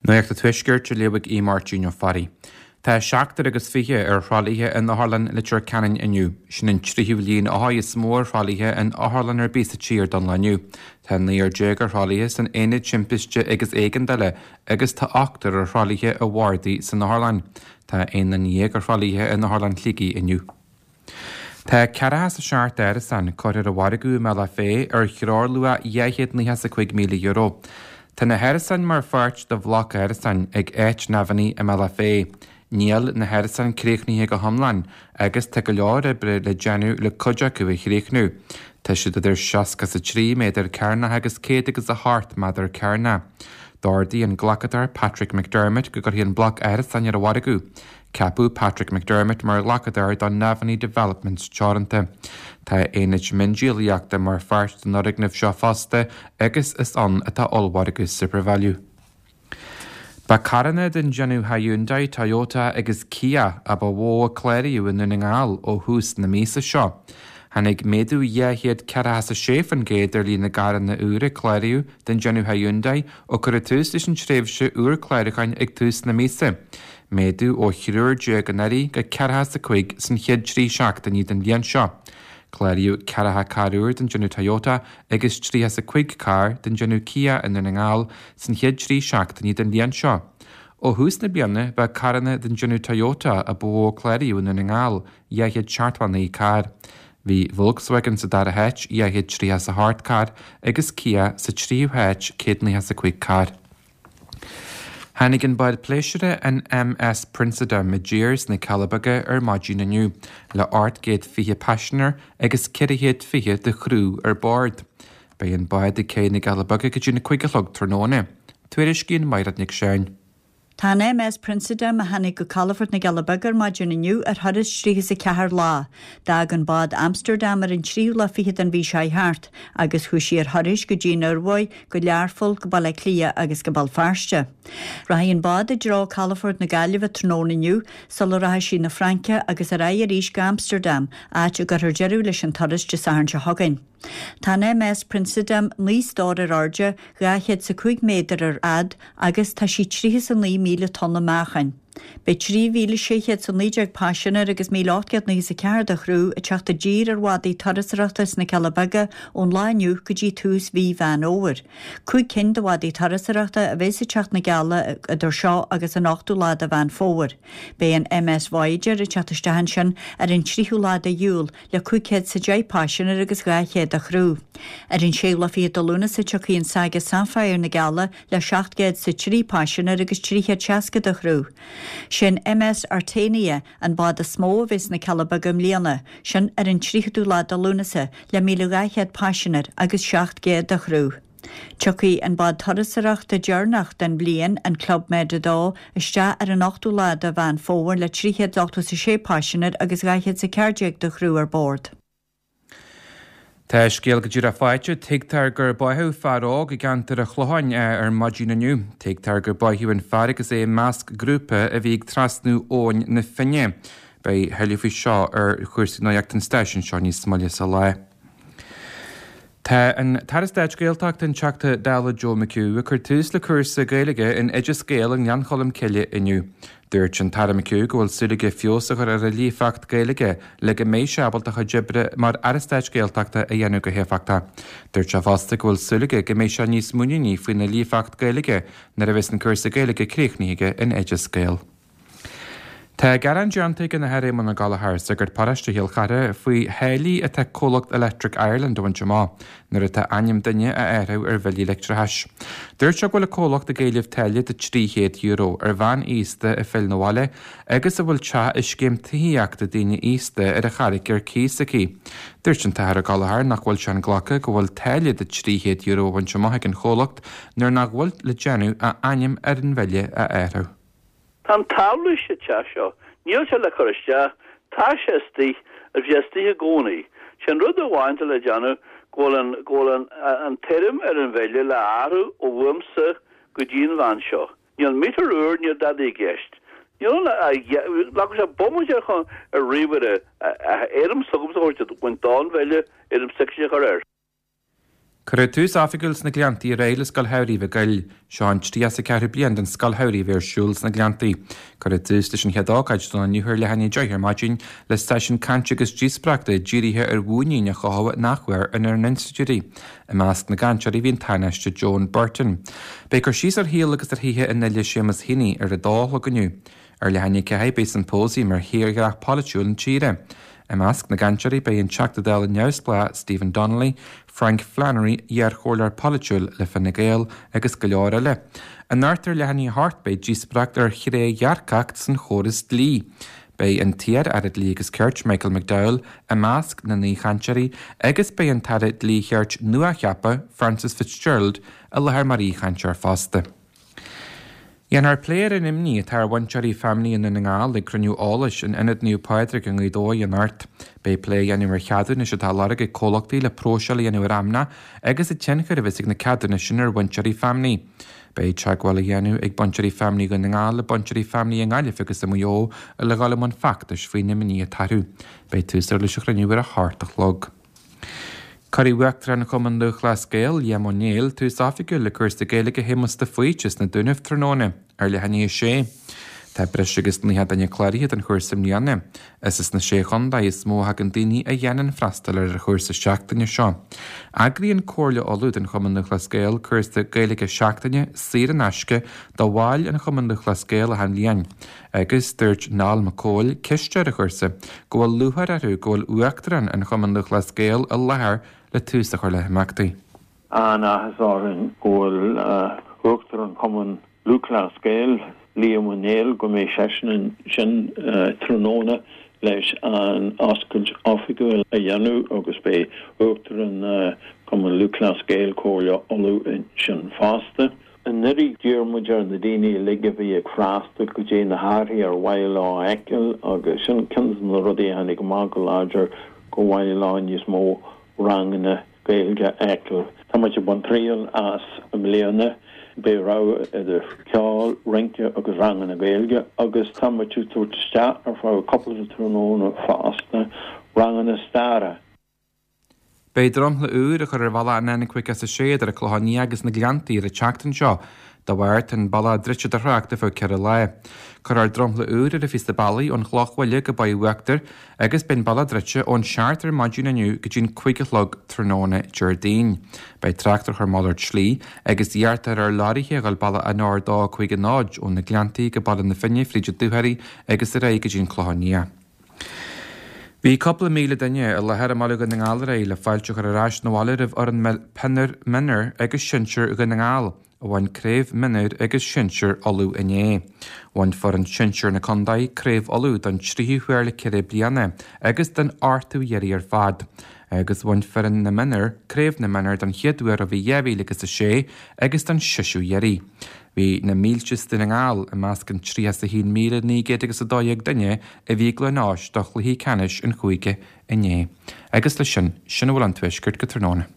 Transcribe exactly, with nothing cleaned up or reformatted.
Nuacht an Tuaiscirt á léamh ag Aodh Máirtín Ó Fearraigh. Tá seachtar agus fiche ar thralaithe in Otharlann Leitir Ceanainn inniu. Sin an tríú líon othair is mó ar thralaithe in otharlann ar bith sa tír don lá inniu. Tá naonúr déag ar thralaithe san aonad timpiste agus éigeandála agus tá ochtar ar thralaithe i bhardaí san otharlann. Tá aon duine dhéag ar thralaithe in Otharlann Shligigh inniu. Tá ceathracha is a seacht árasán curtha ar an mhargadh i mBealach Féich ar threoirluach dhá chéad nócha is a cúig míle euro. Tá na hárasáin mar pháirt de bhloc árasán ag Áit Navaney i mBealach Féich. Níl na hárasáin críochnaithe go hiomlán agus tá go leor oibre le déanamh le cuid acu a chríochnú. Tá siad idir seasca is a trí méadar cearnach agus céad agus a hocht méadar cearnach. D'ordaigh an glacadóir Patrick McDermott go gcuirfí an bloc árasán ar an mhargadh. Ceapadh Patrick McDermott mar ghlacadóir don Navaney Developments Teoranta. Tá aonad miondíolaíochta mar pháirt den fhoirgneamh seo fosta agus is ann atá ollmhargadh SuperValu. Ba carranna den déanamh Hyundai, Toyota agus Kia a ba mhó a cláraíodh i nDún na nGall ó thús na míosa seo. Tháinig méadú dhá chéad ceathracha is a sé faoin gcéad ar líon na gcarranna úr a cláraíodh den déanamh Hyundai ó cuireadh tús leis an tréimhse úr clárúcháin ag tús na míosa. Méadú ó thriúr déag anuraidh go ceathracha is a cúig san chéad trí seachtainí den bhliain seo. Cláraíodh ceathracha carr úr den déanamh Toyota agus tríocha is a cúig carr den déanamh Kia i Ndún na nGall san chéad trí seachtainí den bhliain seo. Ó thús na bliana ba carranna den déanamh Toyota a ba mhó a cláraíodh i Ndún na nGall, dhá chéad seachtó a naoi carr. Bhí Volkswagen sa dara háit, dhá chéad tríocha is a hocht carr, agus Kia sa tríú háit, céad nócha is a cúig carr. Tháinig an bád pléisiúir an MS Princedam i dtír sna Cealla Beaga ar maidin inniu, le ocht gcéad fiche paisinéir agus ceithre chéad fiche de chriú ar bord. Beidh an bád ag cé na gCealla Beaga go dtí na cúig a chlog tráthnóna. Tuairiscíonn Mairéad Nic Seáin. Tá an MS Princedam a tháinig go calafort na gCealla Beaga ar maidin inniu ar thuras tríocha is a ceathair lá. D'fhág an bád Amsterdam ar an tríú lá fichead den mhí seo thart, agus chuaigh sí ar thuras go dtí an Ioruaidh, go Learpholl, go Baile Átha Cliath agus go Béal Feirste. Rachaidh an bád i dtreo calafort na Gaillimhe tráthnóna inniu sula rachaidh sí na Fraince agus ar aghaidh arís go Amsterdam, áit a gcuirfear deireadh leis an turas Dé Sathairn seo chugainn. Tá an MS Princedam naoi stór ar airde, dhá chéad is a cúig méadar ar fhad agus tá sí tríocha is a naoi míle tonna meáchain. Beidh trí mhíle sé chéad is a naoi déag paisinéir agus míle ocht gcéad nócha is a ceathair de chriú ag teacht i dtír ar bhádaí turasóireachta sna Cealla Beaga ón lá inniu go dtí tús mhí Mheán Fhómhair. Cúig cinn de bhádaí turasóireachta a bheas ag teacht na gCealla idir seo agus an ochtú lá de Mheán Fómhair. Beidh an MS Voyager ag teacht isteach ansin ar an tríú lá de Iúil le cúig chéad is a deich paisinéir agus dhá chéad de chriú. Ar an séú lá fichead de Lúnasa tiocfaidh an Saga Sapphire na gCealla le seacht gcéad is a trí paisinéir agus trí chéad seasca de chriú. Sin MS Artania an bád is mó a bheas sna Cealla Beaga i mbliana, sin ar an tríochadú lá de Lúnasa le míle dhá chéad paisinéir agus seacht gcéad de chriú. Tiocfaidh an bád turasóireachta deireanach den bhliain, an Club Med a dó, isteach ar an ochtú lá de Mheán Fómhair le trí chéad ochtó is a sé paisinéir agus dhá chéad is a ceathair déag de chriú ar bord. Tá scéal go díreach faighte, tuigtear gur báitheadh fear óg i gceantar an Chlocháin ar maidin inniu. Tuigtear gur báitheadh an fear agus é i measc grúpa a bhí ag trasnú Abhainn na Finne. Beidh tuilleadh faoi seo ar chúrsaí nuachta an stáisiúin seo níos moille sa lá. Tá an tAire Stáit Gaeltachta an Teachta Dála Joe McHugh ag cur tús le cúrsa Gaeilge in Oideas Gael i nGleann Cholm Cille inniu. Dúirt an tAire McHugh go bhfuil súil aige feabhas a chur ar a líofacht Gaeilge le go mbeidh sé ábalta a chuid oibre mar Aire Stáit Gaeltachta a dhéanamh go héifeachtach. Dúirt sé fosta go bhfuil súil aige go mbeidh sé níos muiníní faoina líofacht Gaeilge nuair a bheas an cúrsa Gaeilge críochnaithe aige in Oideas Gael. Tá gearán déanta ag an Athair Éamonn Ó Gallchóir, sagart paróiste Chill Chartha, faoi tháillí atá comhlacht Electric Ireland a bhaint amach nuair atá ainm duine á athrú ar bhillí leictreachais. Dúirt sé go bhfuil an comhlacht ag éileamh táille de trí chéad euro ar bhean aosta a phill 'na bhaile agus a bhfuil teach i scéim tithíochta daoine aosta ar an Charraig ar cíos aici. Dúirt an tAthair Ó Gallchóir nach bhfuil sé inghlactha go bhfuil táille de trí chéad euro a bhaint amach ag an chomhlacht nuair nach bhfuil le déanamh ach ainm ar an bhille a athrú. Tá an tábla sa teach seo, níl sé le cur isteach, tá sé istigh, agus bhí sé istigh i gcónaí. Sé an rud amháin atá le déanamh go bhfuil an, go bhfuil an, an t-ainm ar an bhille le athrú ó uaimse go dtí an bhean seo. Níl meter úr, níl dadaí i gceist. Níl ann ach, ghlac sé bomaite ar chun, ar ríomhaire, a ainm s'agamsa a thabhairt, baint den bhille, ainm s'aici a chur air. Cuireadh tús oifigiúil sna Gleanntaí aréir le Scoil Shamhraidh Mhaigh Goill. Seo an tríocha is a ceathrú bliain den Scoil Shamhraidh a bheith ar siúl sna Gleanntaí. Cuireadh tús leis an chéad ócáid don lá inniu ar leath i ndiaidh a deich ar maidin le seisiún cainte agus díospóireachta dírithe ar mhuinín a chothú in athuair inár n-institiúidí. I measc na gcainteoirí bhí an Tánaiste Joan Burton. Beidh cur síos ar shaol agus ar shaothar an fhile Séamus Heaney ar a dó a chlog inniu. Ar leath i ndiaidh a ceathair beidh symposium ar thírdhreach polaitiúil na tíre. I measc na gcainteoirí beidh an Teachta Dála neamhspleách Stephen Donnelly, Frank Flannery, iarchomhairleoir polaitiúil le Fine Gael agus go leor eile. Anocht ar leath i ndiaidh a hocht beidh díospóireacht ar thrédhearcacht san chóras dlí. Beidh an t-iar-aire Dlí agus Cirt Michael McDowell i measc na n-aoichainteoirí agus beidh an tAire Dlí Chirt nuacheaptha Frances Fitzgerald i láthair mar aoichainteoir fosta. Dhéanfar plé ar an imní atá ar bhainteoirí feamnaí i nDún na nGall ag cruinniú eolais in Ionad Naomh Pádraig i nGaoth Dobhair anocht. Beidh plé á dhéanamh ar cheadúnais atá á lorg ag comhlachtaí le próiseáil a dhéanamh ar fheamnach agus an tionchar a bheas ag na ceadúnais sin ar bhainteoirí feamnaí. Beidh teagmháil á dhéanamh ag bainteoirí feamnaí Dhún na nGall le bainteoirí feamnaí i nGaillimh agus i Maigh Eo le dhul i mbun feachtais faoin imní atá orthu. Beidh tús leis an chruinniú ar a hocht a chlog. Cuirfidh Uachtarán Chumann Lúthchleas Gael, Liam Ó Néill, tús oifigiúil le cúrsa Gaeilge Shéamuis de Faoite sna Dúnaibh tráthnóna ar leath i ndiaidh a sé. Tá breis agus naocha duine cláraithe don chúrsa i mbliana. Is as na sé chontae is mó a thagann daoine a dhéanann freastal ar an chúrsa seachtaine seo. Eagraíonn Comhairle Uladh den Chumann Lúthchleas Gael cúrsa Gaeilge seachtaine saor in aisce do bhaill an Chumann Lúthchleas Gael achan bhliain. Agus dúirt Niall Mac Cóil, cisteoir an chúrsa, go bhfuil lúcháir orthu go bhfuil Uachtarán an Chumann Lúthchleas Gael i láthair le tús a chur le himeachtaí. An-áthas orainn go bhfuil Uachtarán Chumann Lúthchleas Gael, Liam Ó Néill, go mbeidh seisean ansin tráthnóna leis an oscailt oifigiúil a dhéanamh agus beidh Uachtarán Chumann Lúthchleas Gael, Comhairle Uladh ansin fosta. Anuraidh d'iarr muid ar na daoine uilig a bhí ag freastal go dtí na hathruithe ar mhaith leo a fheiceáil agus sin ceann de na rudaí a tháinig amach go láidir go mhaith leo níos mó ranganna Gaeilge a fheiceáil. Tá muid ag baint triail as i mbliana. Beidh rogha idir ceol, rince agus ranganna Gaeilge agus tá muid ag tabhairt isteach ar feadh cúpla tráthnóna fosta ranganna staire. Beidh dromchla úr á chur ar bhealach an N caoga is a sé idir an Clochán Liath agus na Gleanntaí ar an tseachtain seo. Dá bharr, tá an bealach druidte do thrácht ar feadh ceithre lá. Cuirfear dromchla úr ar an phíosa bealaigh ón Chloch Bhaile go Baile Uachtair agus beidh an bealach druidte ón seacht ar maidin inniu go dtí'n cúig a chlog tráthnóna Déardaoin. Beidh trácht á chur malairt slí agus iarrtar ar leoraithe a dhul bealach an R dó cúig a náid ó na Gleanntaí go Baile na Finne fríd an Dúchoraidh agus ar aghaidh go dtí'n Clochán Liath. Bhí cúpla míle duine i láthair i mBaile Dhún na nGall aréir le fáilte a chur ar ais 'na bhaile roimh fhoireann peile mionúir agus sinsir Dhún na nGall, a bhain craobh mionúir agus sinsir Uladh inné. Bhain foireann sinsir na contae craobh Uladh don tríú huair le ceithre bliana agus don ochtú iarraidh ar fad. Agus bhain foireann na mionúr craobh na mionúr don chéad uair ó bhí dhá mhíle agus a sé agus don seisiú iarraidh. Bhí na mílte as Dún na nGall i measc an tríocha is a haon míle naoi gcéad agus a dó dhéag duine a bhí ag Gleann Eois do chluichí ceannais an chúige inné. Agus leis sin, sin a bhfuil ón Tuaisceart go tráthnóna.